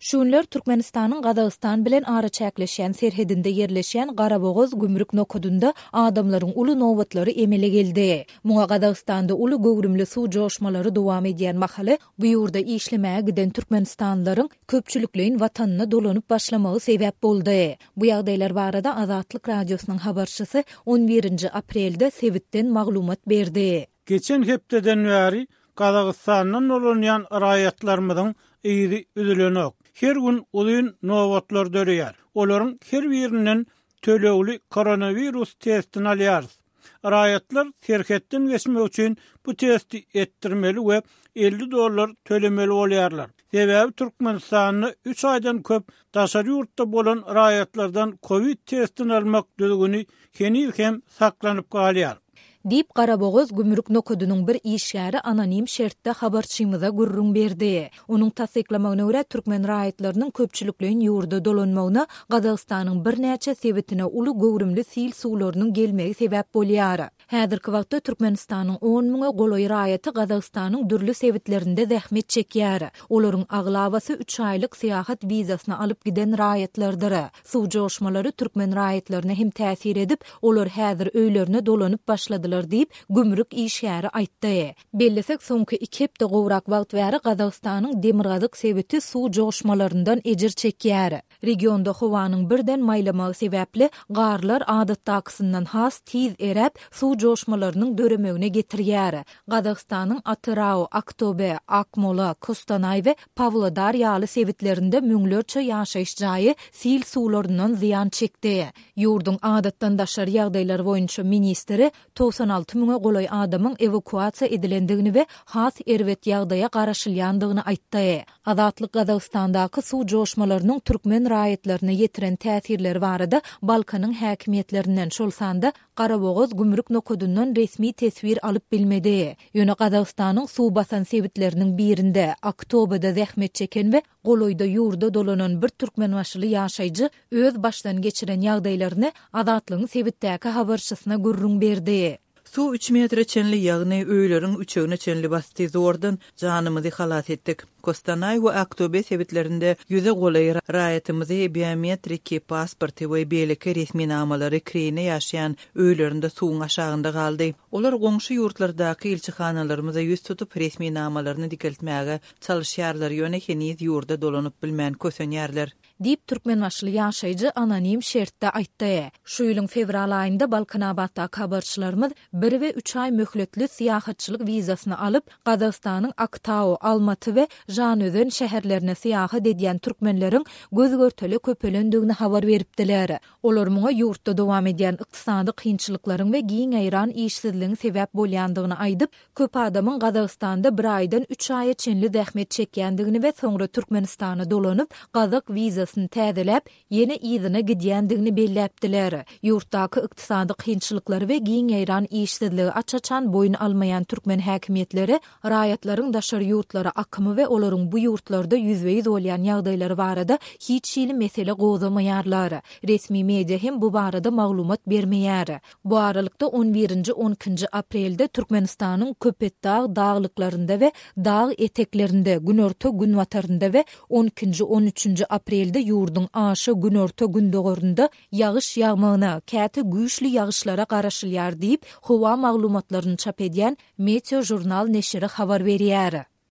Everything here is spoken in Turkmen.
Şu günler Türkmenistanyň Gazagystan bilen araçäkleşýän serhedinde ýerleşýän Garabogaz gümrük nokadynda adamlaryň uly nobatlary emele geldi. Muňa Gazagystanda uly göwrümli suw joşmalary dowam edýän mahaly bu ýurda işlemäge giden türkmenistanlylaryň köpçülikleýin watanyna dolanyp başlamagy sebäp boldy. Bu ýagdaýlar barada Azatlyk Radiosynyň habarçysy on birinji aprelde sebitden maglumat berdi. Geçen hepdeden bäri Gazagystandan dolanýan raýatlarymyzyň yzy üzülenok. Her gün uzyn nobatlar döreýär. Olaryň her birinden tölegli koronawirus testini alýarys. Raýatlar serhetden geçmek üçin bu testi etdirmeli we 50 dollar tölemeli bolýarlar. Sebäbi Türkmenistanda üç aýdan köp daşary ýurtda bolan raýatlardan kowid testini almak düzgüni heniz hem saklanyp galýar. Diýip, Garabogaz gümrük nokadynyň bir işgäri anonim şertde habarçymyza gürrüň berdi. Onuň tassyklamagyna görä, türkmen raýatlarynyň köpçülikleýin ýurda dolanmagyna Gazagystanyň birnäçe sebitine uly göwrümli sil suwlarynyň gelmegi sebäp bolýar. Häzirki wagtda Türkmenistanyň on müňe golaý raýaty Gazagystanyň dürli sebitlerinde zähmet çekýär. Olaryň aglabasy üç aýlyk syýahat wizasyny alyp giden raýatlardyr. Suw joşmalary türkmen raýatlaryna hem täsir edip, olar häzir öýlerine dolanyp başladylar diýip, gümrük işgäri aýtdy. Bellesek, soňky iki hepde gowrak wagt bäri Gazagystanyň demirgazyk sebiti suw joşmalaryndan ejir çekýär. Regionda howanyň birden maýlamagy sebäpli, garlar adatdakysyndan has tiz eräp, suw joşmalarynyň döremegine getirýär. Gazagystanyň Atyrau, Aktobe, Akmola, Kostanaý we Pawlodar ýaly sebitlerinde müňlerçe ýaşaýyş jaýy sil suwlaryndan zyýan çekdi. Ýurduň adatdan daşary ýagdaýlar boýunça ministri 96 müňe golaý adamyň ewakuasiýa edilendigini we has erbet ýagdaýa garaşylýandygyny aýtdy. Azatlyk Gazagystandaky suw joşmalarynyň türkmen raýatlaryna ýetiren täsirleri barada Balkanyň häkimiýetlerinden, şol sanda Garabogaz gümrük nokadyndan resmi teswir alyp bilmedi. Ýöne Gazagystanyň suw basan sebitleriniň birinde, Aktobada zähmet çeken we golaýda ýurda dolanan bir türkmenbaşyly ýaşaýjy öz başdan geçiren ýagdaýlaryny Azatlygyň sebitdäki habarçysyna gürrüň berdi. Suw üç metre çenli, ýagny öýleriň üçegine çenli basdy. Zordan janymyzy halas etdik. Kostanaý we Aktobe sebitlerinde ýüze golaý raýatymyzy biometriki pasporty we beýleki resminamalary kireýine ýaşaýan öýlerinde suwuň aşagynda galdy. Olar goňşy ýurtlardaky ilçihanalarymyza ýüz tutup, resminamalaryny dikeltmäge çalyşýarlar, ýöne heniz ýurda dolanyp bilmän kösenýärler. Diýip, türkmenbaşyly ýaşaýjy anonim şertde aýtdy. Şu ýylyň fewral aýynda Balkanabatdaky habarçylarymyz bir we üç aý möhletli syýahatçylyk wizasyny alyp, Gazagystanyň Aktau, Almaty we Žanözen şäherlerine syýahat edýän türkmenleriň göz-görtele köpelendigini habar beripdiler. Olar muňa ýurtda dowam edýän ykdysady kynçylyklaryň we giň ýaýran işsizligiň sebäp bolýandygyny aýdyp, Köp adamyň Gazagystanda bir aýdan üç aýa çenli zähmet çekýändigini we soňra Türkmenistana dolanyp, gazak wizasyny täzeläp, ýene yzyna gidýändigini belläpdiler. Ýurtdaky ykdysady kynçylyklary we giň ýaýran işsizligi aç-açan boýun almaýan türkmen häkimiýetleri raýatlaryň daşary ýurtlara akymy we olaryň bu ýurtlarda ýüzbe-ýüz bolýan ýagdaýlary barada hiç hili mesele gozgamaýarlar. Resmi media hem bu barada maglumat bermeýär. Bu aralykda, on birinji, on ikinji aprelde Türkmenistanyň Köpetdag daglyklarynda we dag eteklerinde, günorta-günbatarynda we on ikinji, on üçünji aprelde ýurduň aşa günorta-gündogarynda ýagyş ýagmagyna, käte güýçli ýagyşlara garaşylýar diýip, howa maglumatlaryny çap edýän Meteožurnal neşiri habar berýär.